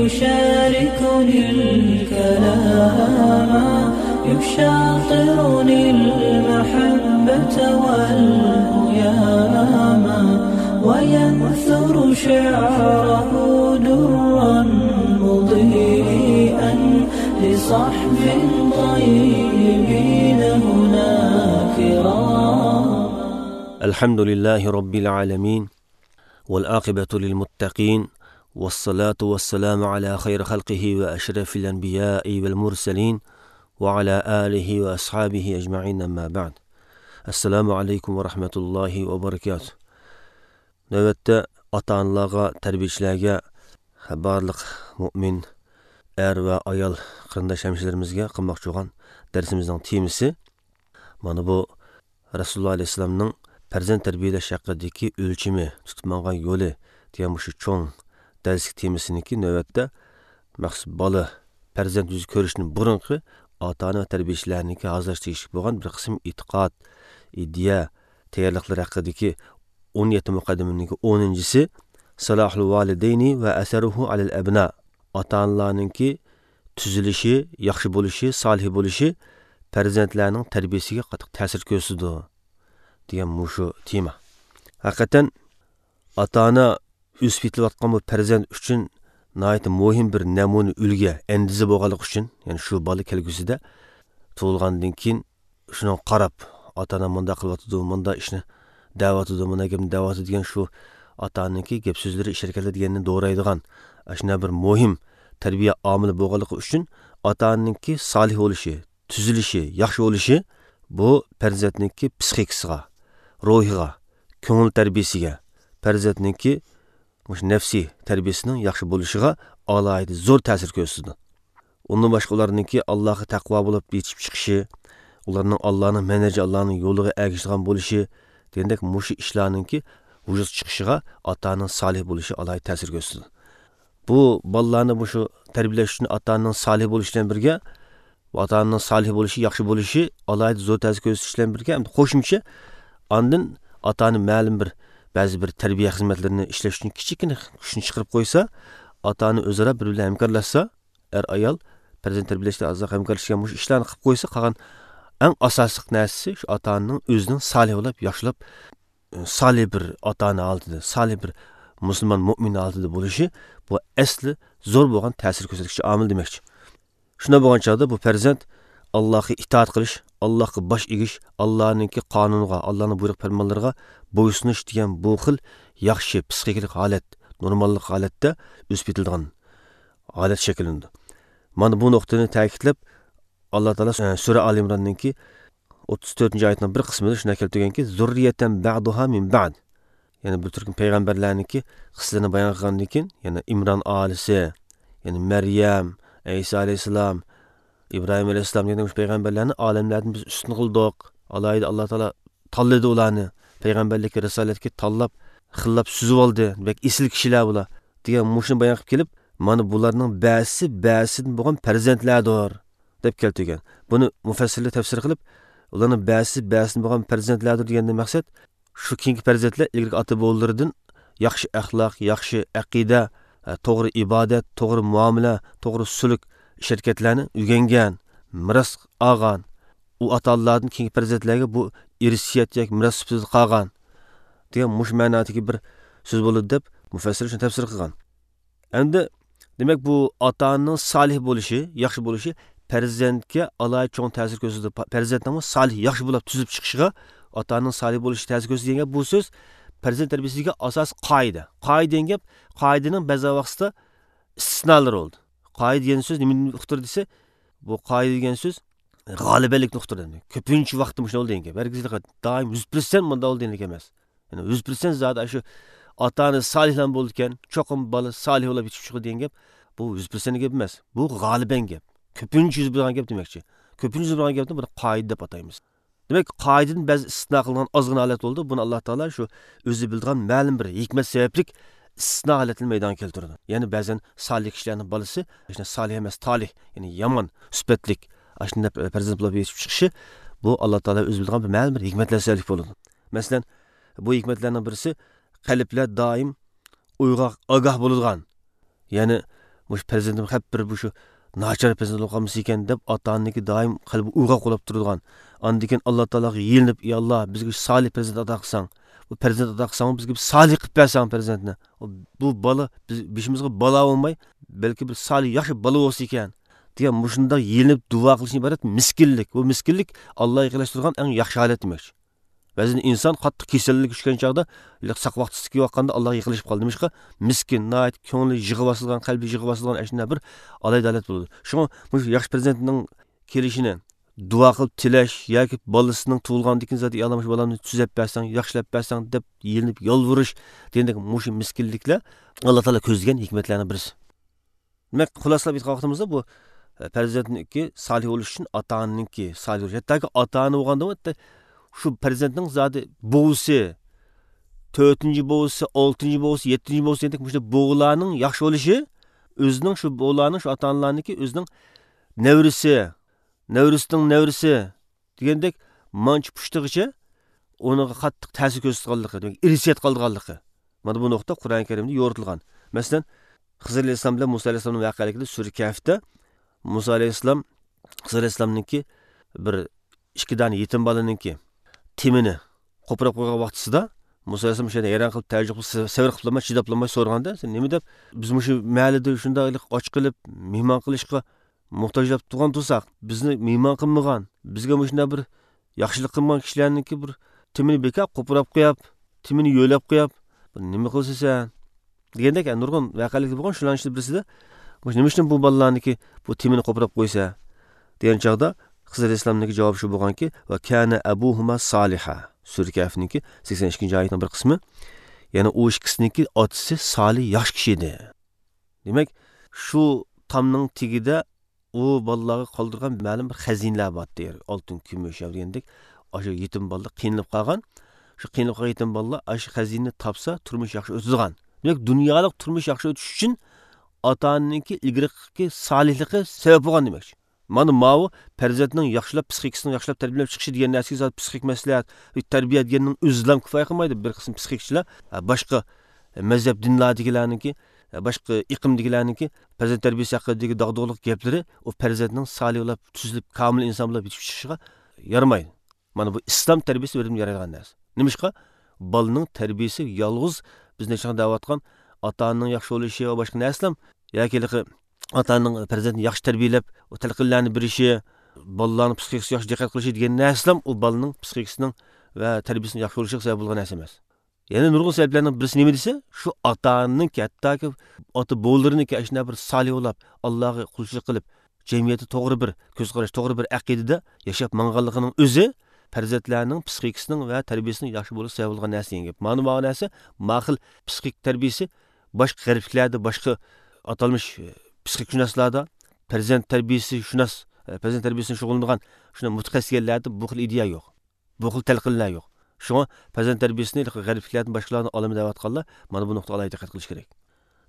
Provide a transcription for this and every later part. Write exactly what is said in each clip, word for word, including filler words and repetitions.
يشاركني الكلام، يشاطرني المحبة والهيام، وينثر شعره درا مضيئا لصحب طيبين هنا كرام. الحمد لله رب العالمين، والعاقبة للمتقين، والصلاة والسلام على خير خلقه وأشرف الأنبياء والمرسلين، وعلى آله وأصحابه أجمعين، أما بعد. السلام عليكم ورحمة الله وبركاته. نۆۋەتتە ئاتا-ئانىلارغا، تەربىيىچىلەرگە، بارلىق مۆمىن ئەر ۋە ئايال قېرىنداش ھەمشىرىلىرىمىزگە قىلماقچى بولغان دەرسىمىزنىڭ تېمىسى، مانا بۇ رەسۇلۇللا ئەلەيھىسسالامنىڭ پەرزەنت تەربىيىلەش ھەققىدىكى ئۆلچىمى، تۇتۇپ ماڭغان يولى دېگەن مۇشۇ چوڭ دەرسلىك تېمىسىنىڭكى نۆۋەتتە مەخسۇس بالا، پەرزەنت يۈز كۆرۈشتىن بۇرۇنقى ئاتا-ئانا ۋە تەربىيىچىلەرنىڭكى ھازىرلاشقا تېگىشلىك بولغان بىر قىسىم ئېتىقاد، ئىدىيە تەييارلىقلىرى ھەققىدىكى ئون يەتتە مۇقەددىمىنىڭكى ئونىنچىسى، سالاھۇل ۋالىدەينى ۋە ئەسەرۇھۇ ئەلەل ئەبنا، ئاتا-ئانىلارنىڭكى تۈزىلىشى، ياخشى بولۇشى، سالىھ بولۇشى پەرزەنتلەرنىڭ تەربىيىسىگە قاتتىق تەسىر كۆرسىتىدۇ، دېگەن مۇشۇ تېما. ھەقىقەتەن ئاتا-ئانا ئۆسۈپ يېتىلىۋاتقان بۇ پەرزەنت ئۈچۈن ناھايىتى مۇھىم بىر نەمۇنە، ئۈلگە، ئەندىزە بولغانلىقى ئۈچۈن، يەنى شۇ بالا كەلگۈسىدە تۇغۇلغاندىن كېيىن شۇنىڭغا قاراپ، ئاتا-ئانام مۇنداق قىلىۋاتىدۇ، مۇنداق ئىشنى دەۋاتىدۇ، مۇنداق گەپنى دەۋاتىدۇ دېگەن شۇ ئاتا-ئانىنىڭكى گەپ-سۆزلىرى، ئىش-ھەرىكەتلىرى دېگەننى دورايدىغان، ئاشۇنداق بىر مۇھىم تەربىيە ئامىلى بولغانلىقى ئۈچۈن ئاتا-ئانىنىڭكى سالىھ بولۇشى، تۈزىلىشى، ياخشى بولۇشى بۇ پەرزەنتنىڭكى پسىخىكىسىغا، روھىغا، كۆڭۈل تەربىيىسىگە، پەرزەنتنىڭكى مۇشۇ نەپسىي تەربىيىسىنىڭ ياخشى بولۇشىغا ئالاھىدە زور تەسىر كۆرسىتىدۇ. ئۇندىن باشقا ئۇلارنىڭكى ئاللاغا تەقۋا بولۇپ يېتىشىپ چىقىشى، ئۇلارنىڭ ئاللانىڭ مەنھەجى، ئاللانىڭ يولىغا ئەگىشىدىغان بولۇشى دېگەندەك مۇشۇ ئىشلارنىڭكى ۋۇجۇدقا چىقىشىغا ئاتا-ئانىنىڭ سالىھ بولۇشى ئالاھىدە تەسىر كۆرسىتىدۇ. بۇ بالىلارنى مۇشۇ تەربىيىلەش ئۈچۈن ئاتا-ئانىنىڭ سالىھ بولۇشى بىلەن بىرگە، ئاتا-ئانىنىڭ سالىھ بولۇشى، ياخشى بولۇشى ئالاھىدە زور تەسىر كۆرسىتىش بىلەن بىرگە، ھەمدە قوشۇمچە ئاندىن ئاتا-ئانا مەلۇم بىر، بەزى بىر تەربىيە خىزمەتلىرىنى ئىشلەش ئۈچۈن كىچىككىنە كۈچنى چىقىرىپ قويسا، ئاتا-ئانا ئۆزئارا بىر-بىرى بىلەن ھەمكارلاشسا، ئەر-ئايال پەرزەنت تەربىيىلەشتە ئازراق ھەمكارلىشىشكە مۇشۇ ئىشلارنى قىلىپ قويسا، قالغان ئەڭ ئاساسلىق نەرسىسى شۇ ئاتا-ئانىنىڭ ئۆزىنىڭ سالىھ بولۇپ، ياخشىلاپ، سالىھ بىر ئاتا-ئانا ھالىتىدە، سالىھ بىر مۇسۇلمان، مۆمىن ھالىتىدە بولۇشى، بۇ ئەسلى زور بولغان تەسىر كۆرسەتكۈچى ئامىل دېمەكچى. شۇنداق بولغان چاغدا بۇ پەرزەنت ئاللاھقا ئىتائەت قىلىش، ئاللاھقا باش ئېگىش، ئاللانىڭكى قانۇنىغا، ئاللانىڭ بۇيرۇق پەرمانلىرىغا بويسۇنۇش دېگەن بۇ خىل ياخشى پسىخىكىلىق ھالەت، نورماللىق ھالەتتە ئۆسۈپ يېتىلىدىغان ھالەت شەكىللىنىدۇ. مانا بۇ نۇقتىنى تەكىتلەپ، ئاللا تائالا، ئە، سۈرە ئال ئىمراننىڭكى ئوتتۇز تۆتىنچى ئايىتىنىڭ بىر قىسمىدا شۇنداق كەلتۈرگەنكى، زۇررىيەتەن بەئدۇھا مىن بەئد. يەنى بۇ تۈركۈم پەيغەمبەرلەرنىڭكى قىسسىلىرىنى بايان قىلغاندىن كېيىن، يەنى ئىمران ئائىلىسى، يەنى مەريەم، ئەيسا ئەلەيھىسسالام، ئىبراھىم ئەلەيھىسسالام دېگەن مۇشۇ پەيغەمبەرلەرنى ئالەملەردىن بىز ئۈستۈن قىلدۇق. ئالاھىدە ئاللا تائالا تاللىدى ئۇلارنى. پەيغەمبەرلىككە، رىسالەتكە تاللاپ، خىللاپ سۈزۈۋالدى. بەك ئېسىل كىشىلەر بۇلار، دېگەن مۇشۇنى بايان قىلىپ كېلىپ، مانا بۇلارنىڭ بەزىسى بەزىسىدىن بولغان پەرزەنتلەردۇر، دەپ كەلتۈرگەن. بۇنى مۇفەسسىرلەر تەپسىر قىلىپ، ئۇلارنىڭ بەزىسى بەزىسىدىن بولغان پەرزەنتلەردۇر دېگەندىن مەقسەت، شۇ كېيىنكى پەرزەنتلەر ئىلگىرىكى ئاتا-بوۋىلىرىدىن ياخشى ئەخلاق، ياخشى ئەقىدە، توغرا ئىبادەت، توغرا مۇئامىلە، توغرا سۈلۈك، ئىش-ھەرىكەتلەرنى ئۆگەنگەن، مىراس ئالغان. ئۇ ئاتا-ئانىلاردىن كېيىنكى پەرزەنتلەرگە بۇ ئىرسىيەت ياكى مىراس سۈپىتىدە قالغان، دېگەن مۇشۇ مەنادىكى بىر سۆز بولىدۇ، دەپ مۇفەسسىرلەر شۇنى تەپسىر قىلغان. ئەمدى، دېمەك، بۇ ئاتا-ئانىنىڭ سالىھ بولۇشى، ياخشى بولۇشى پەرزەنتكە ئالاھىدە چوڭ تەسىر كۆرسىتىدۇ. پا-، پەرزەنتنىڭمۇ سالىھ، ياخشى بولاپ تۈزۈلۈپ چىقىشىغا ئاتا-ئانىنىڭ سالىھ بولۇشى تەسىر كۆرسىتىدۇ دېگەن گەپ بۇ سۆز پەرزەنت تەربىيىسىدىكى ئاساسىي قائىدە. قائىدە دېگەن گەپ، قائىدىنىڭ بەزى ۋاقىتتا ئىستىسنالىرى بولىدۇ. قائىدە دېگەن سۆز نېمىنى ئۇقتۇرىدۇ دېسە، بۇ قائىدە دېگەن سۆز غالىبەنلىكنى ئۇقتۇرىدۇ. كۆپىنچە ۋاقىتتا مۇشۇنداق بولىدۇ دېگەن گەپ. ھەرگىز دائىم يۈز پىرسەنت مۇنداق بولىدۇ دېگەن گەپ ئەمەس. يەنى يۈز پىرسەنت زادى شۇ ئاتا-ئانا سالىھلار بولىدىكەن، چوقۇم بالا سالىھ بولاپ يېتىشىپ چىقىدۇ دېگەن گەپ، بۇ يۈز پىرسەنت گەپ ئەمەس. بۇ غالىبەن گەپ. كۆپىنچە يۈز بېرىدىغان گەپ دېمەكچى. كۆپىنچە يۈز بېرىدىغان گەپنى بىر قائىدە دەپ ئاتايمىز. دېمەك، قائىدىدىن بەزى ئىستىسنا قىلىنغان ئازغىنە ھالەت بولىدۇ. بۇنى ئاللا تائالا شۇ ئۆزى بىلىدىغان مەلۇم بىر ھېكمەت سەۋەبلىك ئىستىسنا ھالەتنى مەيدانغا كەلتۈرىدۇ. يەنى بەزەن سالىھ كىشىلەرنىڭ بالىسى، ئاشۇنداق سالىھ ئەمەس، تالىھ، يەنى يامان سۈپەتلىك، ئاشۇنداق پەرزەنت بولاپ يېتىشىپ چىقىشى، بۇ ئاللا تائالا ئۆزى بىلىدىغان بىر مەلۇم بىر ھېكمەتلەر سەۋەبلىك بولىدۇ. مەسىلەن، بۇ ھېكمەتلەرنىڭ بىرسى، قەلبلەر دائىم ئويغاق، ئاگاھ بولىدىغان، يەنى مۇشۇ پەرزەنتىم خەپ بىر مۇشۇ ناچار پەرزەنت بولۇپ قالمىسا ئەكەن دەپ، ئاتا ئانىنىڭكى دائىم قەلبى ئويغاق بولاپ تۇرىدىغان. ئاندىن كېيىن ئاللا تائالاغا يېلىنىپ، يا ئاللا، بىزگە شۇ سالىھ پەرزەنت ئاتا قىلساڭ، بۇ پەرزەنت ئاتا قىلساڭ، بىزگە بىر سالىھ قىلىپ بەرسەڭ پەرزەنتنى، بۇ بالا بىز بېشىمىزغا بالا بولماي، بەلكى بىر سالىھ ياخشى بالا بولسا ئىكەن، دېگەن مۇشۇنداق يېلىنىپ دۇئا قىلىشنى ئىبارەت مىسكىنلىك. بۇ مىسكىنلىك ئاللاغا يېقىنلاشتۇرىدىغان ئەڭ ياخشى ھالەت دېمەكچى. بەزىدە ئىنسان قاتتىق كېسەللىككە چۈشكەن چاغدا، ساق ۋاقتىسىدىكى ۋاققاندا ئاللاغا يېقىنلىشىپ قالىدۇ. نېمىشقا؟ مىسكىن، ناھايىتى كۆڭلى يىغا باسىدىغان، قەلبى يىغا باسىدىغان ئەشۇنداق بىر ئالاھىدە ھالەت بولىدۇ. شۇڭا مۇشۇ ياخشى پەرزەنتنىڭ كېلىشىنى دۇئا قىلىپ تىلەش ياكى بالىسىنىڭ تۇغۇلغاندىن كېيىن زادى، يا ئاللا، مۇشۇ بالامنى تۈزەپ بەرسەڭ، ياخشىلاپ بەرسەڭ دەپ يېلىنىپ يالۋۇرۇش دېگەندەك مۇشۇ مىسكىنلىكلەر ئاللا تائالا كۆزلىگەن ھېكمەتلەرنىڭ بىرسى. دېمەك، خۇلاسىلاپ ئېيتقان ۋاقتىمىزدا بۇ، ئە، پەرزەنتنىڭكى سالىھ بولۇشى ئۈچۈن ئاتا ئانىنىڭكى سالىھ بولۇشى. ھەتتاكى ئاتا ئانا بولغاندا، ھەتتا شۇ پەرزەنتنىڭ زادى بوۋىسى، تۆتىنچى بوۋىسى، ئالتىنچى بوۋىسى، يەتتىنچى بوۋىسى دېگەندەك مۇشۇ بوۋىلارنىڭ ياخشى بولۇشى، ئۆزىنىڭ شۇ بوۋىلارنىڭ، شۇ ئاتا ئانىلارنىڭكى ئۆزىنىڭ نەۋرىسى، نەۋرىسىنىڭ نەۋرىسى دېگەندەك مانچە پۇشتىغىچە ئۇنىڭغا قاتتىق تەسىر كۆرسىتىدىغانلىقى، دېمەك، ئىرسىيەت قالىدىغانلىقى. مانا بۇ نۇقتا قۇرئان كەرىمدە يورۇتۇلغان. مەسىلەن، خىزىر ئەلەيھىسسالام بىلەن مۇسا ئەلەيھىسسالامنىڭ ۋەقەلىكىدە سۈرە كەھفتە مۇسا ئەلەيھىسسالام، خىزىر ئەلەيھىسسالامنىڭكى بىر ئىككى دانە يېتىم بالىنىڭكى تېمىنى قوپۇرۇپ قويغان ۋاقتىسىدا مۇسا ئەلەيھىسسالام شۇ يەردە ھەيران قېلىپ، تەئەججۈپ قىلىپ، سەۋر قىلالماي، چىداپلانماي سورىغاندا، سەن نېمە دەپ، بىز مۇشۇ مەھەللىدە شۇنداق ئاچ قېلىپ مېھمان قىلىشقا موھتاجلاپ تۇرغان تۇرساق، بىزنى مېھمان قىلمىغان، بىزگە مۇشۇنداق بىر ياخشىلىق قىلمىغان كىشىلەرنىڭكى بىر تېمىنى بىكار قوپۇراپ قوياپ، تېمىنى يۆلەپ قوياپ، بۇ نېمە قىلسا سەن؟ دېگەندەك، نۇرغۇن ۋەقەلىك بولغان. شۇلارنىڭ ئىچىدە بىرسىدە، مۇشۇ نېمە ئۈچۈن بۇ بالىلارنىڭكى بۇ تېمىنى قوپۇراپ قويسا؟ دېگەن چاغدا خىزىر ئەلەيھىسسالامنىڭكى جاۋابى شۇ بولغانكى، ۋە كانە ئەبۇھۇما سالىھا. سۈرە كەھفنىڭكى سەكسەن ئىككىنچى ئايەتنىڭ بىر قىسمى. يەنى ئۇ ئىككىسىنىڭكى ئاتىسى سالىھ ياخشى كىشى ئىدى. دېمەك، شۇ تامنىڭ تېگىدە ئۇ بالىلارغا قالدۇرغان مەلۇم بىر خەزىنىلەر بارتتى. ئالتۇن، كۈمۈش دېگەندەك، ئاشۇ يېتىم بالىلار قىينىلىپ قالغان. شۇ قىينىلىپ قالغان يېتىم بالىلار ئاشۇ خەزىنىنى تاپسا، تۇرمۇش ياخشى ئۆتىدىغان. دېمەك، دۇنيالىق تۇرمۇش ياخشى ئۆتۈش ئۈچۈن ئاتا ئانىنىڭكى ئىلگىرىكى سالىھلىقى سەۋەب بولغان دېمەكچى. مانا ماۋۇ پەرزەنتنىڭ ياخشىلاپ، پسىخىكىسىنىڭ ياخشىلاپ تەربىيەلەپ چىقىشى دېگەن نەرسىگە زادى پسىخىك مەسلىھەت، تەربىيە دېگەننىڭ ئۆزىلا كۇپايە قىلمايدۇ. بىر قىسىم پسىخىكچىلار، ھە، باشقا مەزھەپ دىنلاردىكىلەرنىڭكى، ھە، باشقا ئېقىمدىكىلەرنىڭكى پەرزەنت تەربىيەسى ھەققىدىكى داغدۇغىلىق گەپلىرى ئۇ پەرزەنتنىڭ سالىھ بولۇپ، تۈزۈلۈپ، كامىل ئىنسان بولۇپ يېتىشىپ چىقىشىغا يارىمايدۇ. مانا بۇ ئىسلام تەربىيەسى بىردىن يارايدىغان نەرسە. نېمىشقا؟ بالىنىڭ تەربىيەسى يالغۇز بىز نەچچە دەۋاتقان ئاتا ئانىنىڭ ياخشى بولۇشى ۋە باشقا نەرسىلەر ياكى ھېلىقى ئاتا ئانىنىڭ پەرزەنتنى ياخشى تەربىيەلەپ، ئۇ تەلقىنلەرنى بېرىشى، بالىلارنىڭ پسىخىكىسىگە ياخشى دىققەت قىلىشى دېگەن نەرسىلەر ئۇ بالىنىڭ پسىخىكىسىنىڭ ۋە تەربىيەسىنىڭ ياخشى بولۇشىغا سەۋەب بولغان نەرسە ئەمەس. يەنە نۇرغۇن سەۋەبلەرنىڭ بىرسى نېمە دېسە، شۇ ئاتا ئانىنىڭكى، ھەتتاكى ئاتا بوۋىلىرىنىڭكى ئاشۇنداق بىر سالىھ بولاپ، ئاللاغا قۇلچىلىق قىلىپ، جەمئىيەتتە توغرا بىر كۆز قاراش، توغرا بىر ئەقىدىدە ياشاپ ماڭغانلىقىنىڭ ئۆزى پەرزەنتلەرنىڭ پسىخىكىسىنىڭ ۋە تەربىيەسىنىڭ ياخشى بولۇشىغا سەۋەب بولغان نەرسە دېگەن گەپ. مانا ماۋۇ نەرسە ماقۇل پسىخىك تەربىيەسى باشقا غەربلىكلەردە، باشقا ئاتالمىش، ئە، پسىخىكشۇناسلاردا پەرزەنت تەربىيەسى شۇناس، ئە، پەرزەنت تەربىيەسىنى شۇغۇللىنىدىغان شۇنداق مۇتەخەسسىس دېگەنلەردە بۇ خىل ئىدىيە يوق. بۇ خىل تەلقىنلەر يوق. شۇڭا پەرزەنت تەربىيەسىنى غەربلىكلەردىن باشقىلاردىن ئالىمەن دەۋاتقانلار مانا بۇ نۇقتىغا ئالاھىدە دىققەت قىلىشى كېرەك.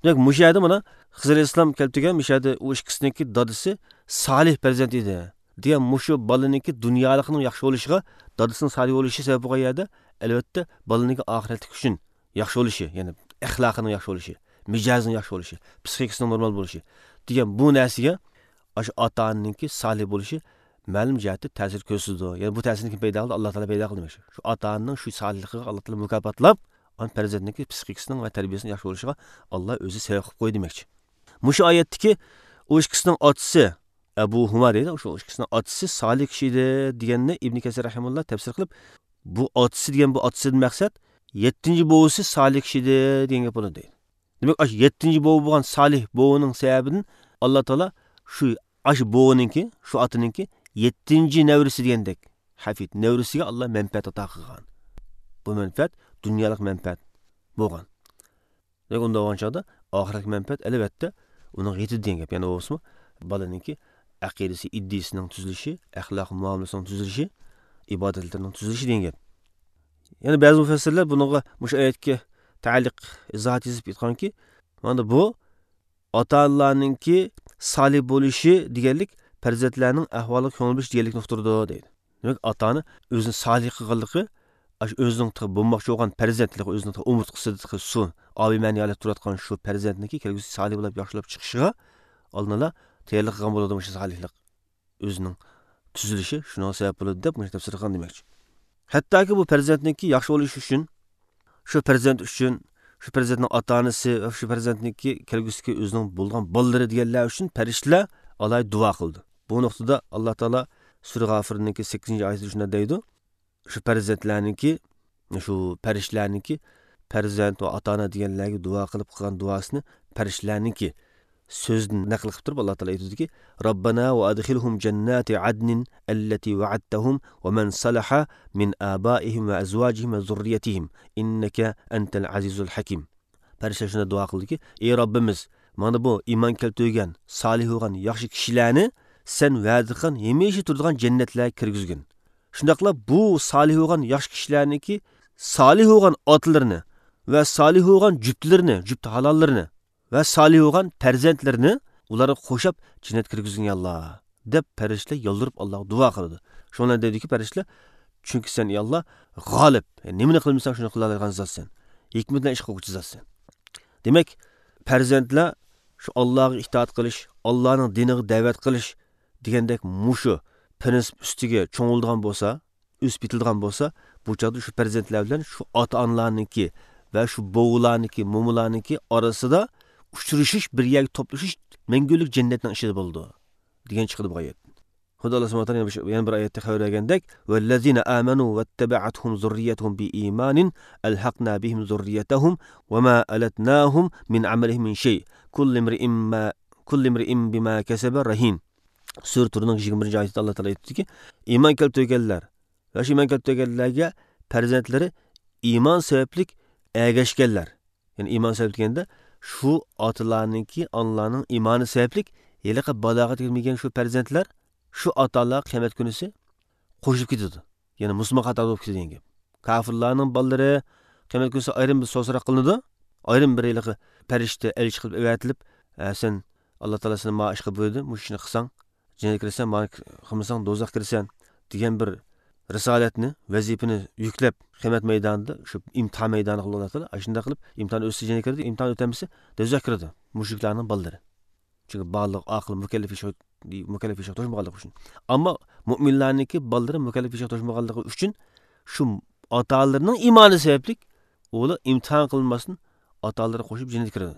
دېمەك، مۇشۇ يەردە مانا خىزىر ئەلەيھىسسالام كەلتۈرگەن، مۇشۇ يەردە ئۇ ئىككىسىنىڭكى دادىسى سالىھ پەرزەنت ئىدى دېگەن مۇشۇ بالىنىڭكى دۇنيالىقنىڭ ياخشى بولۇشىغا، دادىسىنىڭ سالىھ بولۇشى سەۋەب بولغان يەردە، ئەلۋەتتە، بالىنىڭكى ئاخىرەتلىك ئۈچۈن ياخشى بولۇشى، يەنى ئەخلاقىنىڭ ياخشى بولۇشى، مىجەزىنىڭ ياخشى بولۇشى، پسىخىكىسىنىڭ نورمال بولۇشى دېگەن بۇ نەرسىگە ئاشۇ ئاتا ئانىنىڭكى سالىھ بولۇشى مەلۇم جەھەتتە تەسىر كۆرسىتىدۇ. يەنى بۇ تەسىرنى كىم پەيدا قىلدى؟ ئاللا تائالا پەيدا قىلدى دېمەكچى. شۇ ئاتا ئانىنىڭ شۇ سالىھلىقىغا ئاللا تائالا مۇكاپاتلاپ، ئان پەرزەنتنىڭكى پسىخىكىسىنىڭ ۋە تەربىيەسىنىڭ ياخشى بولۇشىغا ئاللا ئۆزى سەۋەب قىلىپ قويدى دېمەكچى. مۇشۇ ئايەتتىكى ئۇ ئىككىسىنىڭ ئاتىسى، ئەبۇھۇما دەيدۇ، شۇ ئىككىسىنىڭ ئاتىسى سالىھ كىشى ئىدى دېگەننى ئىبنى كەسىر رەھىمۇللا تەپسىر قىلىپ، بۇ ئاتىسى دېگەن بۇ ئاتىسىدىن مەقسەت يەتتىنچى بوۋىسى سالىھ كىشى ئىدى دېگەن گەپ بولىدۇ. دېمەك، ئاشۇ يەتتىنچى بوۋا بولغان سالىھ بوۋىنىڭ سەۋەبىدىن ئاللا تائالا شۇ، ئاشۇ بوۋىنىڭكى، شۇ ئاتىنىڭكى يەتتىنچى نەۋرىسى دېگەندەك، ھەفىد نەۋرىسىگە ئاللا مەنپەئەت ئاتا قىلغان. بۇ مەنپەئەت دۇنيالىق مەنپەئەت بولغان. دېمەك، ئۇنداق بولغان چاغدا ئاخىرەتلىك مەنپەئەت، ئەلۋەتتە، ئۇنىڭغا يېتىدۇ دېگەن گەپ. يەنە بولسىمۇ، بالىنىڭكى ئەقىدىسى، ئىدىيىسىنىڭ تۈزۈلۈشى، ئەخلاق مۇئامىلىسىنىڭ تۈزۈلۈشى، ئىبادەتلىرىنىڭ تۈزۈلۈشى دېگەن گەپ. يەنە بەزى مۇپەسسىرلەر بۇنىڭغا مۇشۇ ئايەتكە تەئەللۇق ئىزاھات يېزىپ ئېيتقانكى، مانا بۇ ئاتا-ئانىلارنىڭكى سالىھ بولۇشى دېگەنلىك پەرزەنتلەرنىڭ ئەھۋالىغا كۆڭۈل بۆلۈش دېگەنلىكنى ئۇقتۇرىدۇ، دەيدۇ. دېمەك، ئاتا-ئانا ئۆزىنى سالىھ قىلغانلىقى، ئاشۇ ئۆزىنىڭ تېخى بولماقچى بولغان پەرزەنت، تېخى ئۆزىنىڭ تېخى ئومۇرتقىسىدا تېخى سۇ، ئاۋىمەنى ھالەتتە تۇرۇۋاتقان شۇ پەرزەنتنىڭكى كەلگۈسى سالىھ بولۇپ ياخشى بولۇپ چىقىشىغا ئالدىنلا تەييارلىق قىلغان بولىدۇ، مۇشۇ سالىھلىق ئۆزىنىڭ تۈزۈلۈشى شۇنىڭغا سەۋەب بولىدۇ دەپ مۇشۇ تەپسىر قىلغان دېمەكچى. ھەتتاكى بۇ پەرزەنتنىڭكى ياخشى بولۇشى ئۈچۈن، شۇ پەرزەنت ئۈچۈن، شۇ پەرزەنتنىڭ ئاتا-ئانىسى ۋە شۇ پەرزەنتنىڭكى كەلگۈسىدىكى ئۆزىنىڭ بولغان بالىلىرى دېگەنلەر ئۈچۈن پەرىشتىلەر ئالاھىدە دۇئا قىلدى. بۇ نۇقتىدا ئاللا تائالا سۈرە غافىرنىڭكى سەككىزىنچى ئايىتىدە شۇنداق دەيدۇ، شۇ پەرزەنتلەرنىڭكى، شۇ پەرىشتىلەرنىڭكى پەرزەنت ۋە ئاتا-ئانا دېگەنلەرگە دۇئا قىلىپ قىلغان دۇئاسىنى پەرىشتىلەرنىڭكى سۆزىدىن نەقىل قىلىپ تۇرۇپ، ئاللا تائالا ئېيتىدۇكى، ربنا وأدخلهم جنات عدن التي وعدتهم ومن صلح من آبائهم وأزواجهم وذريتهم إنك أنت العزيز الحكيم. پەرىشتىلەر شۇنداق دۇئا قىلدىكى، ئى رەببىمىز، مانا بۇ ئىمان كەلتۈرگەن، سالىھ بولغان ياخشى كىشىلەرنى سەن ۋەدە قىلغان ھەمىشە تۇرىدىغان جەننەتلەرگە كىرگۈزگىن. شۇنداقلا بۇ سالىھ بولغان ياخشى كىشىلەرنىڭكى سالىھ بولغان ئاتىلىرىنى ۋە سالىھ بولغان جۈپتىلىرىنى، جۈپتى ھالاللىرىنى ۋە سالىھ بولغان پەرزەنتلىرىنى ئۇلارغا قوشاپ جەننەتكە كىرگۈزگىن، يا ئاللا، دەپ پەرىشتىلەر يالۋۇرۇپ ئاللاغا دۇئا قىلىدۇ. شۇنىڭ بىلەن دەيدۇكى پەرىشتىلەر، چۈنكى سەن، يا ئاللا، غالىب، يەنى نېمىنى قىلمىساڭ شۇنى قىلالايدىغان زاتسەن. ھېكمىتى بىلەن ئىش قىلغۇچى زاتسەن. دېمەك، پەرزەنتلەر شۇ ئاللاغا ئىتائەت قىلىش، ئاللانىڭ دىنىغا دەۋەت قىلىش دېگەندەك مۇشۇ پىرىنسىپ ئۈستىگە چوڭىيىدىغان بولسا، ئۆسۈپ يېتىلىدىغان بولسا، بۇ چاغدا شۇ پەرزەنتلەر بىلەن شۇ ئاتا-ئانىلارنىڭكى ۋە شۇ بوۋىلارنىڭكى، مومىلارنىڭكى ئارىسىدا ئۇچرىشىش، بىر يەرگە توپلىشىش مەڭگۈلۈك جەننەتنىڭ ئىچىدە بولىدۇ، دېگەن چىقىدۇ بۇ ئايەتتىن. خۇدا ئاللا سۇبھانەھۇ ۋە تائالا يەنە بىر، يەنە بىر ئايەتتە خەۋەر بەرگەندەك، والذين آمنوا واتبعتهم ذريتهم بإيمان ألحقنا بهم ذريتهم وما ألتناهم من عملهم من شيء كل امرئ ما، كل امرئ بما كسب رهين. سۈرە تۇرنىڭ يىگىرمە بىرىنچى ئايىتىدە ئاللا تائالا ئېيتتىكى، ئىمان كەلتۈرگەنلەر ۋە شۇ ئىمان كەلتۈرگەنلەرگە پەرزەنتلىرى ئىمان سەۋەبلىك ئەگەشكەنلەر، يەنى ئىمان سەۋەبلىك دېگەندە، شۇ ئاتىلارنىڭكى، ئانىلارنىڭ ئىمانى سەۋەبلىك ھېلىقى بالاغەتكە يەتمىگەن شۇ پەرزەنتلەر شۇ ئاتا-ئانىلارغا قىيامەت كۈنىسى قوشۇلۇپ كېتىدۇ. يەنى مۇسۇلمان قاتارىدا بولۇپ كېتىدۇ دېگەن گەپ. كافىرلارنىڭ بالىلىرى قىيامەت كۈنىسى ئايرىم بىر سوئال-سوراق قىلىنىدۇ. ئايرىم بىر ھېلىقى پەرىشتە، ئەلچى قىلىپ ئەۋەتىلىپ، «ھە، سەن، ئاللا تائالا سېنى ما ئىشقا بۇيرۇدى، مۇشۇ ئىشنى قىلساڭ، جەننەتكە كىرىسەن، مانا قىلمىساڭ، دوزاخقا كىرىسەن» دېگەن بىر رىسالەتنى، ۋەزىپىنى يۈكلەپ، قىيامەت مەيدانىدا، شۇ ئىمتىھان مەيدانىغا ئاللا تائالا ئاشۇنداق قىلىپ، ئىمتىھان ئۆتسە جەننەتكە كىرىدۇ، ئىمتىھان ئۆتەلمىسە دوزاخقا كىرىدۇ. مۇشرىكلارنىڭ بالىلىرى. چۈنكى بالىغ، ئاقىل، مۇكەللەپ ياشاش، مۇكەللەپ ياشاش توشمىغانلىقى ئۈچۈن. ئەمما مۇئمىنلارنىڭكى بالىلىرى مۇكەللەپ ياشاش توشمىغانلىقى ئۈچۈن شۇ ئاتا-ئانىلىرىنىڭ ئىمانى سەۋەبلىك ئۇلار ئىمتىھان قىلىنماستىن ئاتا-ئانىلىرى قوشۇپ جەننەتكە كىرىدۇ.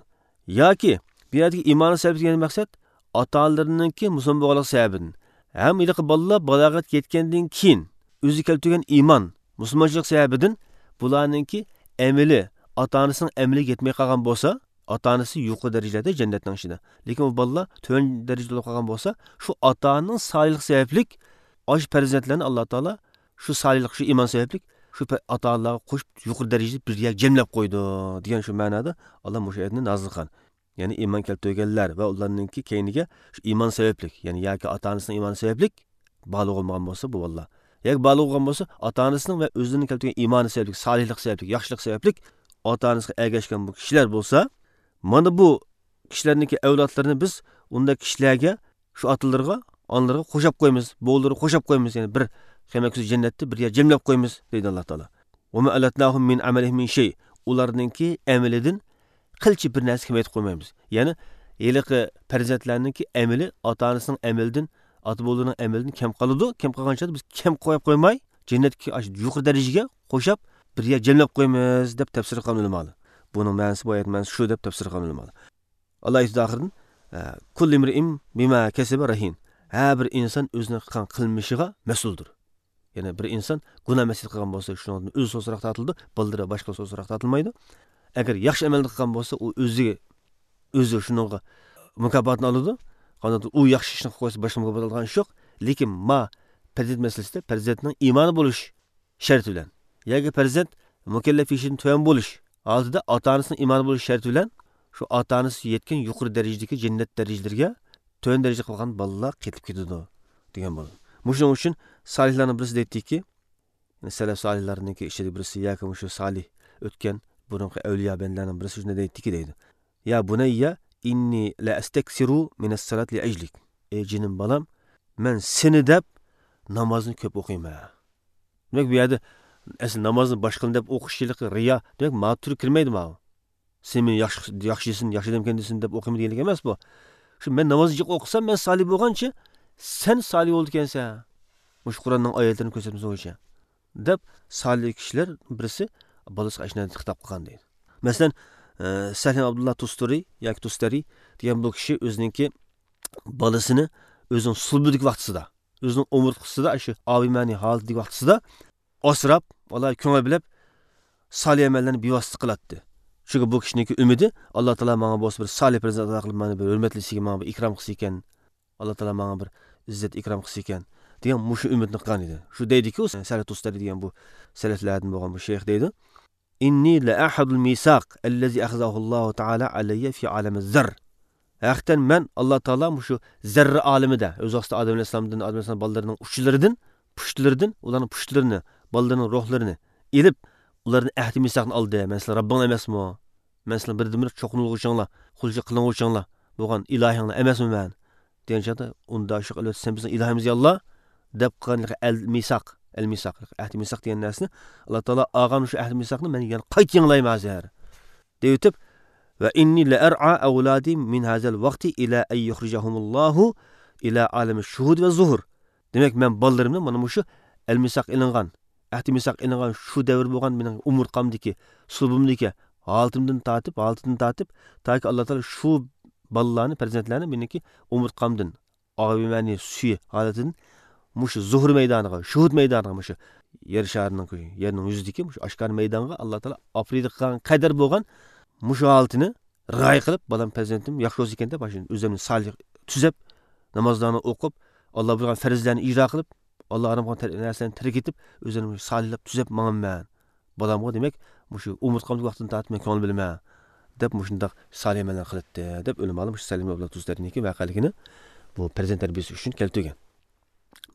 ياكى بۇ يەردىكى ئىمانى سەۋەبلىك دېگەن مەقسەت ئاتا-ئانىلىرىنىڭكى مۇسۇلمان بولغانلىقى سەۋەبىدىن ھەم ھېلىقى بالىلار بالاغەتكە يەتكەندىن كېيىن ئۆزى كەلتۈرگەن ئىمان، مۇسۇلمانچىلىق سەۋەبىدىن بۇلارنىڭكى ئەمىلى ئاتا-ئانىسىنىڭ ئەمىلىگە يەتمەي قالغان بولسا، ئاتا-ئانىسى يۇقىرى دەرىجىلەردە جەننەتنىڭ ئىچىدە. لېكىن ئۇ بالىلار تۆۋەن دەرىجىدە بولۇپ قالغان بولسا، شۇ ئاتا-ئانىنىڭ سالىھلىقى سەۋەبلىك ئاشۇ پەرزەنتلەرنى ئاللا تائالا شۇ سالىھلىق، شۇ ئىمان سەۋەبلىك شۇ پە-، ئاتا-ئانىلارغا قوشۇپ يۇقىرى دەرىجىدە بىر يەرگە جەملەپ قويىدۇ، دېگەن شۇ مەنادا ئاللا مۇشۇ ئايەتنى نازىل قىلغان. يەنى ئىمان كەلتۈرگەنلەر ۋە ئۇلارنىڭكى كەينىگە شۇ ئىمان سەۋەبلىك، يەنى ياكى ئاتا-ئانىسىنىڭ ئىمانى سەۋەبلىك بالىغ بولمىغان بولسا بۇ بالىلار. ياكى بالىغ بولغان بولسا ئاتا-ئانىسىنىڭ ۋە ئۆزىنىڭ كەلتۈرگەن ئىمانى سەۋەبلىك، سالىھلىق سەۋەبلىك، ياخشىلىق سەۋەبلىك ئاتا-ئانىسىغا ئەگەشكەن بۇ كىشىلەر بولسا، مانا بۇ كىشىلەرنىڭكى ئەۋلادلىرىنى بىز ئۇنداق كىشىلەرگە، شۇ ئاتىلىرىغا، ئانىلىرىغا قوشاپ قويىمىز، بوۋىلىرىغا قوشاپ قويىمىز، يەنى بىر قىيامەت كۈنى جەننەتتە بىر يەر جەملەپ قويىمىز، دەيدۇ ئاللا تائالا. وما ألتناهم من عملهم من شيء. ئۇلارنىڭكى ئەمىلىدىن قىلچە بىر نەرسە كېمەيتىپ قويمايمىز. يەنى ھېلىقى پەرزەنتلەرنىڭكى ئەمىلى ئاتا-ئانىسىنىڭ ئەمىلىدىن، ئاتا-بوۋىلىرىنىڭ ئەمىلىدىن كەم قالىدۇ. كەم قالغان چاغدا بىز كەم قويۇپ قويماي، جەننەتتىكى ئاشۇ يۇقىرى دەرىجىگە قوشاپ بىر يەر جەملەپ قويىمىز، دەپ تەپسىر قىلغان ئۆلىمالار. بۇنىڭ مەنىسى، بۇ ئايەت مەنىسى شۇ، دەپ تەپسىر قىلغان ئۆلىمالار. ئاللا ئېيتىدۇ ئاخىرىدىن، ئە، كل امرئ بما كسب رهين. ھەر بىر ئىنسان ئۆزىنىڭ قىلغان قىلمىشىغا مەسئۇلدۇر. يەنى بىر ئىنسان گۇناھ مەسىيەت قىلغان بولسا، شۇنىڭدىن ئۆزى سوراق تارتىلىدۇ، بالىلىرى باشقا سوراق تارتىلمايدۇ. ئەگەر ياخشى ئەمەلنى قىلغان بولسا، ئۇ ئۆزى، ئۆزى شۇنىڭغا مۇكاپاتنى ئالىدۇ. قانداق ئۇ ياخشى ئىشنى قىلىپ قويسا، باشقا مۇكاپات ئالىدىغان ئىش يوق. لېكىن ما پەرزەنت مەسىلىسىدە پەرزەنتنىڭ ئىمانى بولۇش شەرتى بىلەن ياكى پەرزەنت مۇكەللەپ يېشىدىن تۆۋەن بولۇش ھالىتىدە ئاتا-ئانىسىنىڭ ئىمانى بولۇش شەرتى بىلەن شۇ ئاتا-ئانىسى يەتكەن يۇقىرى دەرىجىدىكى جەننەت دەرىجىلىرىگە تۆۋەن دەرىجىدە قالغان بالىلار قېتىپ كېتىدۇ دېگەن بولىدۇ. مۇشۇنىڭ ئۈچۈن سالىھلارنىڭ بىرسى دەيتتىكى، سەلەف سالىھلارنىڭكى ئىچىدە بىرسى ياكى مۇشۇ سالىھ ئۆتكەن بۇرۇنقى ئەۋلىيا بەندىلەرنىڭ بىرسى شۇنداق دەيتتىكى دەيدۇ. يا بۇنەييە ئىننى لە ئەستەكسىرۇ مىنەس سالات لە ئەجلىك. ئەي جېنىم بالام، مەن سېنى دەپ نامازنى كۆپ ئوقۇيمەن. دېمەك، بۇ يەردە ئەسلى نامازنى باشقىلار دەپ ئوقۇش ھېلىقى رىيا، دېمەك، ماڭا تۈرى كىرمەيدۇ ماۋۇ. سېنى مەن ياخشى، ياخشى دېسۇن، ياخشى ئادەمكەن دېسۇن دەپ ئوقۇيمەن دېگەنلىك ئەمەس بۇ. شۇ مەن ناماز جىق ئوقۇسام، مەن سالىھ بولغانچە، سەن سالىھ بولىدىكەنسەن. مۇشۇ قۇرئاننىڭ ئايەتلىرىنىڭ كۆرسەتمىسى بويىچە. دەپ، سالىھ كىشىلەر بىرسى بالىسىغا ئاشۇنداق خىتاب قىلغان دەيدۇ. مەسىلەن، ئە، سەھلىم ئابدۇللا تۇستۇرى ياكى تۇستەرى دېگەن بۇ كىشى ئۆزىنىڭكى بالىسىنى ئۆزىنىڭ سۇلبىدىكى ۋاقتىسىدا، ئۆزىنىڭ ئومۇرتقىسىدا، شۇ ئاۋىمەنى ھالىتىدىكى ۋاقتىسىدا ئاسراپ، ئالاھىدە كۆڭۈل بۆلۈپ، سالىھ ئەمەللەرنى بىۋاسىتە قىلاتتى. چۈنكى بۇ كىشىنىڭكى ئۈمىدى، ئاللا تائالا ماڭا بولسا بىر سالىھ پەرزەنت ئاتا قىلىپ، مانا بىر ھۆرمەتلىسىكەن، ماڭا بىر ئىكرام قىلسىكەن، ئاللا تائالا ماڭا بىر ئىززەت ئىكرام قىلسىكەن، دېگەن مۇشۇ ئۈمىدنى قىلغان ئىدى. شۇ دەيدىكى، ئۇ سەھلىم تۇستەرى دېگەن بۇ سەلەفلەردىن بولغان بۇ شەيخ دەيدۇ. «إني لأعهد الميثاق الذي أخذه الله تعالى علي في عالم الذر.» ھەقىقەتەن مەن ئاللا تائالا مۇشۇ زەررە ئالىمىدە، ئۆز ۋاقتىدا ئادەم ئەلەيھىسسالامدىن، ئادەم ئەلەيھىسسالام بالىلىرىنىڭ ئۇچىلىرىدىن، پۇشتىلىرىدىن، ئۇلارنىڭ پۇشتىلىرىنى، بالىلىرىنىڭ روھلىرىنى ئېلىپ، ئۇلاردىن ئەھدى مىساقنى ئالدى. مەن سىلەر رەببىڭلار ئەمەسمۇ؟ مەن سىلەر بىردىنبىر چوقۇنۇلغۇچىڭلار، قۇلچىلىق قىلىنغۇچىڭلار بولغان ئىلاھىڭلار ئەمەسمۇ مەن؟ دېگەن چاغدا، ئۇندا شۇ قىلىۋەتسە، سەن بىزنىڭ ئىلاھىمىز يا ئاللا، دەپ قىلغان ئەل مىساق، ئەل مىساق، ئەھدى مىساق دېگەن نەرسىنى، ئاللا تائالا ئالغان شۇ ئەھدى مىساقنى مەن يەنە قايتا يېڭىلايمەن ھازىر، دەيۋېتىپ، «وإني لأرعى أولادي من هذا الوقت إلى أن يخرجهم الله إلى عالم الشهود والظهور.» دېمەك، مەن بالىلىرىمنى مانا مۇشۇ ئەل مىساق ئېلىنغان، ئەھدى مىساق ئېلىنغان شۇ دەۋر بولغان مېنىڭ ئومۇرتقامدىكى، سۇلبۇمدىكى ھالىتىمدىن تارتىپ، ھالىتىدىن تارتىپ، تاكى ئاللا تائالا شۇ بالىلارنى، پەرزەنتلەرنى مېنىڭكى ئومۇرتقامدىن، ئاۋىمەنى سۈيى ھالىتىدىن مۇشۇ زۇھۇر مەيدانىغا، شۇھۇد مەيدانىغا، مۇشۇ يەر شارىنىڭ، يەرنىڭ يۈزىدىكى مۇشۇ ئاشكارا مەيدانغا ئاللا تائالا ئاپىرىدىغان قەدەر بولغان مۇشۇ ھالىتىنى رىئايە قىلىپ، بالام، پەرزەنتىم ياخشى بولسا ئىكەن دەپ، مانا شۇ ئۆزۈمنى سالىھ تۈزەپ، نامازلارنى ئوقۇپ، ئاللا بۇيرۇغان پەرزلەرنى ئىجرا قىلىپ، ئاللا ھارام قىلغان تەر-، نەرسىلەرنى تەرك ئېتىپ، ئۆزۈمنى سالىھلاپ تۈزەپ ماڭىمەن. بالامغا، دېمەك، مۇشۇ ئومۇرتقامدىكى ۋاقتىدىن تارتىپ مەن كۆڭۈل بۆلىمەن، دەپ مۇشۇنداق سالىھ ئەمەللەر قىلاتتى، دەپ ئۆلىمالار مۇشۇ سەھلىم ئابدۇللا تۇستەرىنىڭكى ۋەقەلىكىنى بۇ پەرزەنت تەربىيىسى ئۈچۈن كەلتۈرگەن.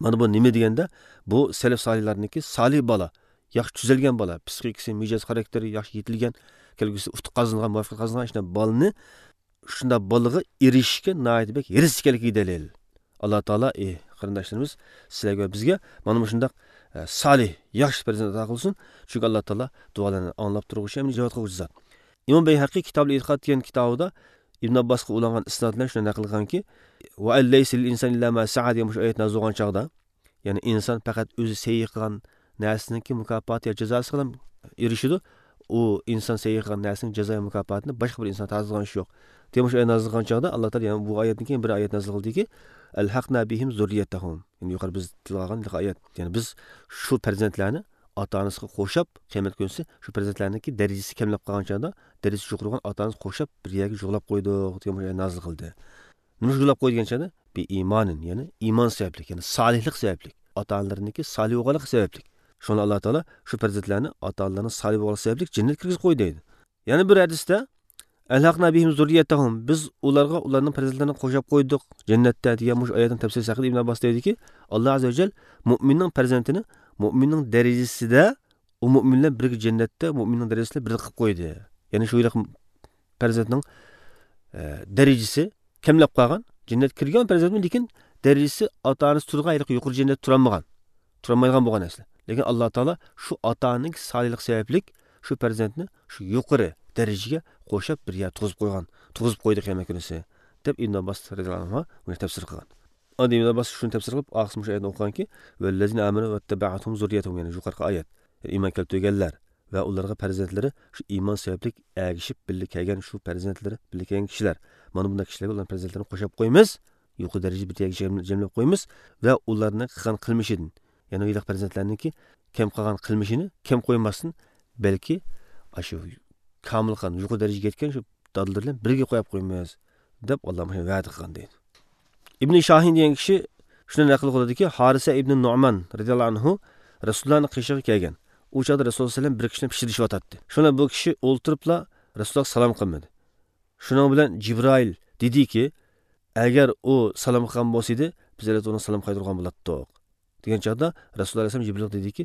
مانا بۇ نېمە دېگەندە، بۇ سەلەف سالىھلارنىڭكى سالىھ بالا، ياخشى تۈزەلگەن بالا، پسىخىكىسى، مىجەز خاراكتېرى ياخشى يېتىلگەن، كەلگۈسىدە ئۇتۇق قازانغان، مۇۋەپپەقىيەت قازانغان شۇنداق بالىنى، شۇنداق بالىغا ئېرىشىشكە ناھايىتى بەك ھېرىس ئىكەنلىكىگە دەلىل. ئاللا تائالا، ئى قېرىنداشلىرىمىز، سىلەرگە ۋە بىزگە مانا مۇشۇنداق، ئە، سالىھ، ياخشى پەرزەنت ئاتا قىلسۇن. چۈنكى ئاللا تائالا دۇئالارنى ئاڭلاپ تۇرغۇچى ھەم ئىجابەت قىلغۇچى زات. ئىمام بەيھەقى كىتابۇل ئېتىقاد دېگەن كىتابىدا ئىبن ئابباسقا ئۇلانغان ئىسناد بىلەن شۇنداق نەقىل قىلغانكى، «وأن ليس للإنسان إلا ما سعى» دېگەن مۇشۇ ئايەت نازىل بولغان چاغدا، يەنى ئىنسان پەقەت ئۆزى سەي قىلغان نەرسىنىڭكى مۇكاپاتى يا جازاسىغىلا ئېرىشىدۇ. ئۇ ئىنسان سەي قىلغان نەرسىنىڭ جازا يا مۇكاپاتىنى باشقا بىر ئىنسان تارتىدىغان ئىش يوق. دېمەك، شۇ ئايەت نازىل قىلغان چاغدا ئاللا تائالا يەنە بۇ ئايەتتىن كېيىن بىر ئايەت نازىل قىلدىكى، «ألحقنا بهم ذريتهم». يەنى يۇقىرى بىز تىلغا ئالغان ئايەت. يەنى بىز شۇ پەرزەنتلەرنى ئاتا-ئانىسىغا قوشاپ، قىيامەت كۈنىسى شۇ پەرزەنتلەرنىڭكى دەرىجىسى كەملەپ قالغان چاغدا، دەرىجىسى يۇقىرى بولغان ئاتا-ئانىسىغا قوشاپ بىر يەرگە جۇغلاپ قويدۇق، دېگەن بۇ ئايەت نازىل قىلدى. نېمە ئۈچۈن جۇغلاپ قويدى دېگەن چاغدا، بىئىمانىن، يەنى ئىمان سەۋەبلىك، يەنى سالىھلىق سەۋەبلىك، ئاتا-ئانىلىرىنىڭكى سالىھ بولغانلىقى سەۋەبلىك. شۇڭا ئاللا تائالا شۇ پەرزەنتلەرنى ئاتا-ئانىلىرىنىڭ سالىھ بولغانلىقى سەۋەبلىك جەننەتكە كىرگۈزۈپ قويدى دەيدۇ. يەنە بىر ھەدىستە، «ألحقنا بهم ذريتهم»، بىز ئۇلارغا ئۇلارنىڭ پەرزەنتلىرىنى قوشاپ قويدۇق جەننەتتە، دېگەن مۇشۇ ئايەتنىڭ تەپسىرى ھەققىدە ئىبن ئابباس دەيدۇكى، ئاللا ئەززە ۋە جەل مۇئمىننىڭ پەرزەنتىنى مۇئمىننىڭ دەرىجىسىدە، ئۇ مۇئمىن بىلەن بىرگە جەننەتتە مۇئمىننىڭ دەرىجىسى بىلەن بىرگە قىلىپ قويدى. يەنى شۇ ھېلىقى پەرزەنتنىڭ، ئە، دەرىجىسى كەملەپ قالغان، جەننەتكە كىرگەن پەرزەنتمۇ، لېكىن دەرىجىسى ئاتا-ئانىسى تۇرىدىغان ھېلىقى يۇقىرى جەننەتتە تۇرالمىغان، تۇرالمايدىغان بولغان ئەسلى. لېكىن ئاللا تائالا شۇ ئاتا-ئانىنىڭ سالىھلىقى سەۋەبلىك شۇ پەرزەنتنى شۇ يۇقىرى دەرىجىگە قوشاپ بىر يەر تۇرغۇزۇپ قويغان، تۇرغۇزۇپ قويدى قىيامەت كۈنىسى، دەپ ئىبن ئابباس رەزىياللاھۇ ئەنھۇ بۇنى تەپسىر قىلغان. ئاندىن ئىبن ئابباس شۇنى تەپسىر قىلىپ، ئاخىرسى مۇشۇ ئايەتنى ئوقۇغانكى، «والذين آمنوا واتبعتهم ذريتهم»، يەنى يۇقىرىقى ئايەت. ئىمان كەلتۈرگەنلەر ۋە ئۇلارغا پەرزەنتلىرى شۇ ئىمان سەۋەبلىك ئەگىشىپ بىللە كەلگەن، شۇ پەرزەنتلىرى بىللە كەلگەن كىشىلەر. مانا بۇنداق كىشىلەرگە ئۇلارنىڭ پەرزەنتلىرىنى قوشاپ قويىمىز، يۇقىرى دەرىجىدە بىر يەرگە جەم-، جەملەپ قويىمىز ۋە ئۇلارنىڭ قىلغان قىلمىشىدىن، يەنى ھېلىقى پەرزەنتلەرنىڭكى كەم قىلغان قىلمىشىنى كەم قويماستىن، بەلكى ئاشۇ كامىلخان، يۇقىرى دەرىجىگە يەتكەن شۇ دادىلىرى بىلەن بىرگە قويۇپ قويىمىز، دەپ ئاللا مۇشۇ ۋەدە قىلغان دەيدۇ. ئىبنى شاھىن دېگەن كىشى شۇنى نەقىل قىلىدۇكى، ھارىسە ئىبنى نۇئمان رەزىياللاھۇ ئەنھۇ رەسۇلۇللانىڭ قېشىغا كەلگەن. ئۇ چاغدا رەسۇلۇللا سەللەم بىر كىشىنى پىچىرلىشىۋاتاتتى. شۇنىڭ بىلەن بۇ كىشى ئولتۇرۇپلا رەسۇلۇللاغا سالام قىلمىدى. شۇنىڭ بىلەن جىبرائىل دېدىكى، «ئەگەر ئۇ سالام قىلغان بولسىدى، بىز ئەلۋەتتە ئۇنىڭغا سالام قايتۇرغان بولاتتۇق.» دېگەن چاغدا رەسۇلۇللا ئەلەيھىسسالام جىبرىلگە دېدىكى،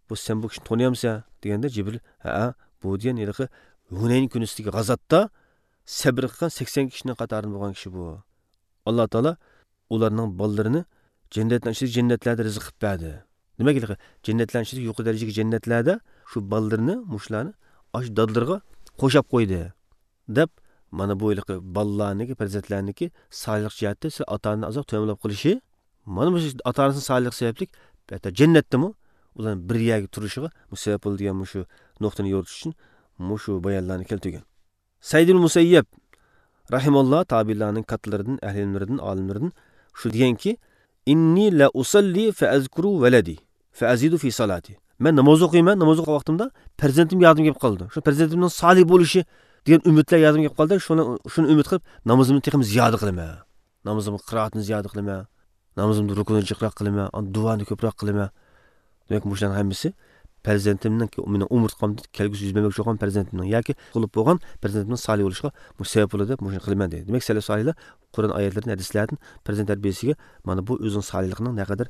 «بۇ سەن بۇ كىشىنى تونۇيامسەن؟» دېگەندە جىبرىل، «ھەئە، بۇ» دېگەن ھېلىقى ھۇنەين كۈنىسىدىكى غازاتتا سەبرى قىلغان سەكسەن كىشىنىڭ قاتارىدا بولغان كىشى بۇ. ئاللا تائالا ئۇلارنىڭ بالىلىرىنى جەننەتنىڭ ئىچىدە جەننەتلەردە رىزىق قىلىپ بەردى. دېمەك، ھېلىقى جەننەتلەرنىڭ ئىچىدىكى يۇقىرى دەرىجىدىكى جەننەتلەردە شۇ بالىلىرىنى مۇشۇلارنى ئاشۇ دادىلىرىغا قوشاپ قويدى، دەپ، مانا بۇ ھېلىقى بالىلارنىڭكى، پەرزەنتلەرنىڭكى سالىھلىق جەھەتتە سىلەر ئاتا-ئانىنى ئازراق تۆۋەن بولاپ قېلىشى، مانا مۇشۇ ئاتا-ئانىسىنىڭ سالىھلىقى سەۋەبلىك ھەتتا جەننەتتىمۇ ئۇلارنىڭ بىر يەرگە تۇرۇشىغا مۇ-، سەۋەب بولىدۇ دېگەن مۇشۇ نۇقتىنى يورۇتۇش ئۈچۈن مۇشۇ بايانلارنى كەلتۈرگەن. سەئىد ئىبن مۇسەييەب رەھىمەللا تابىئىنلارنىڭ كاتتىلىرىدىن، ئەھلى ئىلىملىرىدىن، ئالىملىرىدىن شۇ دېگەنكى، «ئىننى لە ئۇسەللى فەئەزكۇرۇ ۋەلەدى فەئەزىدۇ فى سالاتى.» مەن ناماز ئوقۇيمەن، ناماز ئوقۇغان ۋاقتىمدا پەرزەنتىم يادىمغا كېلىپ قالىدۇ. شۇ پەرزەنتىمنىڭ سالىھ بولۇشى دېگەن ئۈمىدلەر يادىمغا كېلىپ قالدى. شۇنى، شۇنى ئۈمىد قىلىپ نامىزىمنى تېخىمۇ زىيادە قىلىمەن. نامىزىمغا قىرائەتنى زىيادە قىلىمەن. نامىزىمدا رۇكۇننى جىقراق قىلىمەن، ئاندىن دۇئانى كۆپرەك قىلىمەن. دېمەك، مۇشۇلارنىڭ ھەممىسى پەرزەنتىمنىڭ، مېنىڭ ئومۇرتقامدا كەلگۈسى يۈز بەرمەكچى بولغان پەرزەنتىمنىڭ ياكى تۇغۇلۇپ بولغان پەرزەنتىمنىڭ سالىھ بولۇشىغا مۇشۇ سەۋەب بولىدۇ دەپ مۇشۇنى قىلىمەن دەيدۇ. دېمەك، سەلەف سالىھلار قۇرئان ئايەتلىرىدىن، ھەدىسلەردىن پەرزەنت تەربىيەسىگە مانا بۇ ئۆزىنىڭ سالىھلىقىنىڭ نەقەدەر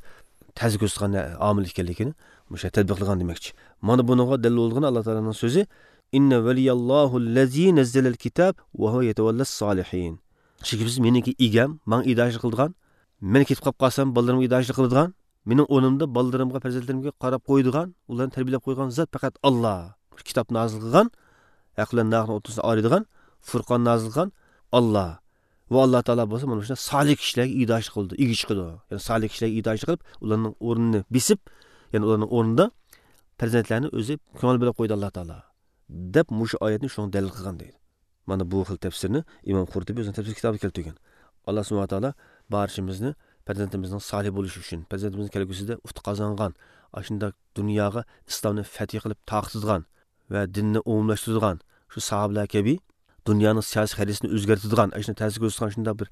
تەسىر كۆرسىتىدىغان ئامىل ئىكەنلىكىنى مۇشۇ تەتبىقلىغان دېمەكچى. مانا بۇنىڭغا دەلىل بولىدىغان ئاللا تائالانىڭ سۆزى، «ئىننە ۋەلىيەللاھۇللەزى نەززەلەل كىتاب ۋە ھۇۋە يەتەۋەللەس سالىھىن.» شۈبھىسىز، مېنىڭكى ئىگەم، ماڭا ئىگىدارچىلىق قىلىدىغان، مەن كېتىپ قاپ قالسام، بالىلىرىمغا ئىگىدارچىلىق قىلىدىغان، مېنىڭ ئورنۇمدا بالىلىرىمغا، پەرزەنتلىرىمگە قاراپ قويىدىغان، ئۇلارنى تەربىيەلەپ قويىدىغان زات پەقەت ئاللا. كىتاب نازىل قىلغان، ھەق بىلەن ناھەقنىڭ ئوتتۇرىسىنى ئايرىيدىغان، فۇرقان نازىل قىلغان ئاللا. ۋە ئاللا تائالا بولسا مانا شۇنداق سالىھ كىشىلەرگە ئىگىدارچىلىق قىلىدۇ، ئىگە چىقىدۇ. يەنى سالىھ كىشىلەرگە ئىگىدارچىلىق قىلىپ، ئۇلارنىڭ ئورنىنى بېسىپ، يەنى ئۇلارنىڭ ئورنىدا پەرزەنتلەرنى ئۆزى كۆڭۈل بۆلۈپ قويدى ئاللا تائالا، دەپ مۇشۇ ئايەتنى شۇنىڭغا دەلىل قىلغان دەيدۇ. مانا بۇ خىل تەپسىرنى ئىمام قۇرتۇبى ئۆزىنىڭ تەپسىر كىتابىدا كەلتۈرگەن. ئاللا سۇبھانەھۇ ۋە تائالا بارچىمىزنى پەرزەنتىمىزنىڭ سالىھ بولۇشى ئۈچۈن، پەرزەنتىمىزنىڭ كەلگۈسىدە ئۇتۇق قازانغان، ئاشۇنداق دۇنياغا ئىسلامنى فەتھى قىلىپ تارقىتىدىغان ۋە دىننى ئومۇملاشتۇرىدىغان، شۇ ساھابىلەر كەبى دۇنيانىڭ سىياسىي خەرىتىسىنى ئۆزگەرتىدىغان، ئاشۇنداق تەسىر كۆرسىتىدىغان شۇنداق بىر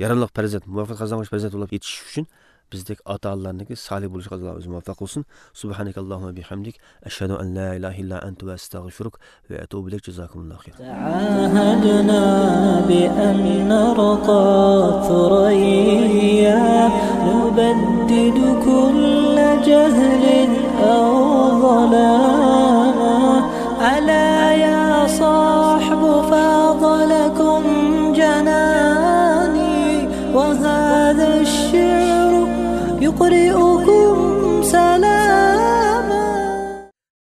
ياراملىق پەرزەنت، مۇۋەپپەقىيەت قازانغۇچى پەرزەنت بولۇپ يېتىشىش ئۈچۈن بىزدەك ئاتا-ئانىلارنىڭكى سالىھ بولۇشىغا ئاللا ئۆزى مۇۋەپپەق قىلسۇن. سۇبھانەكەللاھۇممە بىھەمدىك، ئەشھەدۇ ئەن لا ئىلاھە ئىللا ئەنتە ۋە ئەستەغفىرۇك ۋە ئەتۇبۇ ئىلەيك. جازاكۇمۇللاھۇ خەيرا. تعاهدنا بأن نرقى ثريا، نبدد كل جهل أو ظلام. ألا يا صاحب فاض لكم جناني، وهذا الشعر يقرئكم سلام.